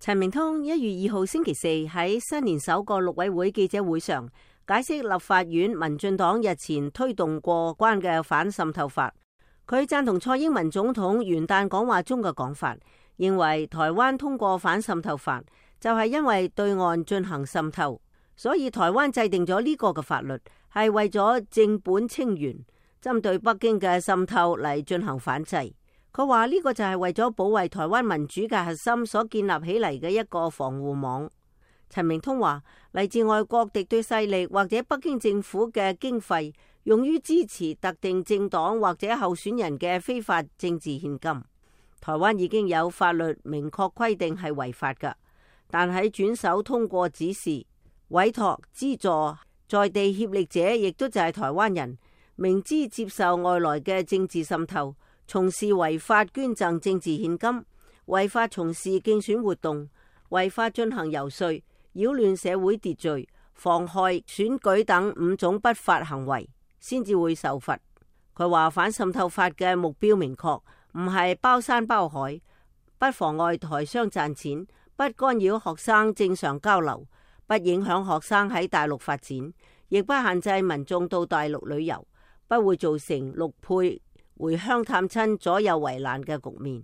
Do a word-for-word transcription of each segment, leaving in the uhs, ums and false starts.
陳明通一月二號星期四喺新年首個陸委會記者會上解釋立法院民進黨日前推動過關嘅反滲透法。佢贊同蔡英文總統元旦講話中嘅講法，認為台灣通過反滲透法就係因為對岸進行滲透，所以台灣制定咗呢個嘅法律係為咗正本清源，針對北京嘅滲透嚟進行反制。佢話呢個就係為咗保衛台灣民主嘅核心所建立起嚟嘅一個防護網。陳明通話，嚟自外國敵對勢力或者北京政府嘅經費用於支持特定政黨或者候選人嘅非法政治獻金。台灣已經有法律明確規定係違法㗎，但喺轉手通過指示、委託、資助在地協力者，亦都就係台灣人，明知接受外來嘅政治滲透，從事違法捐贈政治獻金、違法從事競選活動、違法進行遊說、擾亂社會秩序、妨害選舉等五種不法行為，先至會受罰。佢話反滲透法嘅目標明確，唔係包山包海，不妨礙台商賺錢，不干擾學生正常交流，不影響學生喺大陸發展，亦不限制民眾到大陸旅遊，不會造成陸配回鄉探親左右為難嘅局面。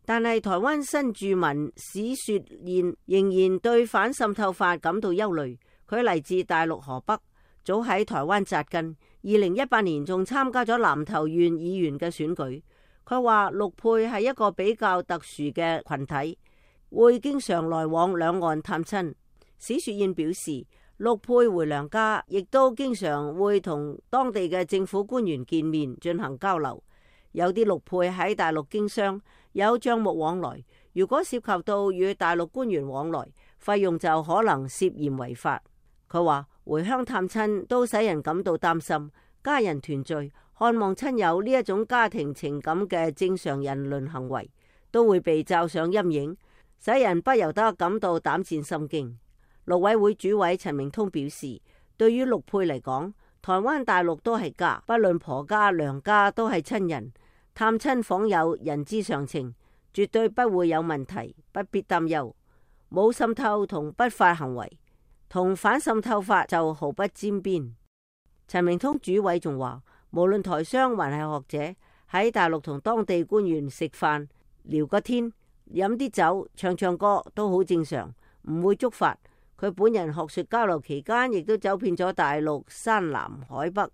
但係台灣新住民史雪燕仍然對反滲透法感到憂慮。佢嚟自大陸河北，早喺台灣紮根，二零一八年仲參加咗南投縣議員嘅選舉。佢話陸配係一個比較特殊嘅群體，會經常來往兩岸探親。史雪燕表示，陸配回娘家，亦都經常會同當地嘅政府官員見面進行交流。有啲陸配喺大陸經商，有賬目往來。如果涉及到與大陸官員往來，費用就可能涉嫌違法。佢話回鄉探親都使人感到擔心，家人團聚、看望親友呢一種家庭情感嘅正常人倫行為，都會被罩上陰影，使人不由得感到膽戰心驚。陸委會主委陳明通表示，對於陸配嚟講，台灣大陸都係家，不論婆家娘家都係親人，探親訪友人之常情，絕對不會有問題，不必擔憂。冇滲透同不法行為，同反滲透法就毫不沾邊。陳明通主委仲話，無論台商還係學者，喺大陸同當地官員食飯聊個天，飲啲酒，唱唱歌都好正常，唔會觸法。佢本人學術交流期間，亦都走遍咗大陸山南海北，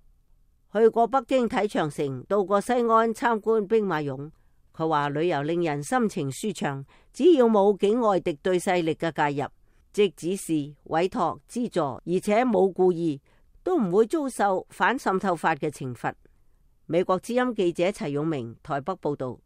去過北京睇長城，到過西安參觀兵馬俑。佢話旅遊令人心情舒暢，只要冇境外敵對勢力嘅介入，即指示、委託、資助，而且冇故意，都唔會遭受反滲透法嘅懲罰。美國之音記者齊勇明台北報道。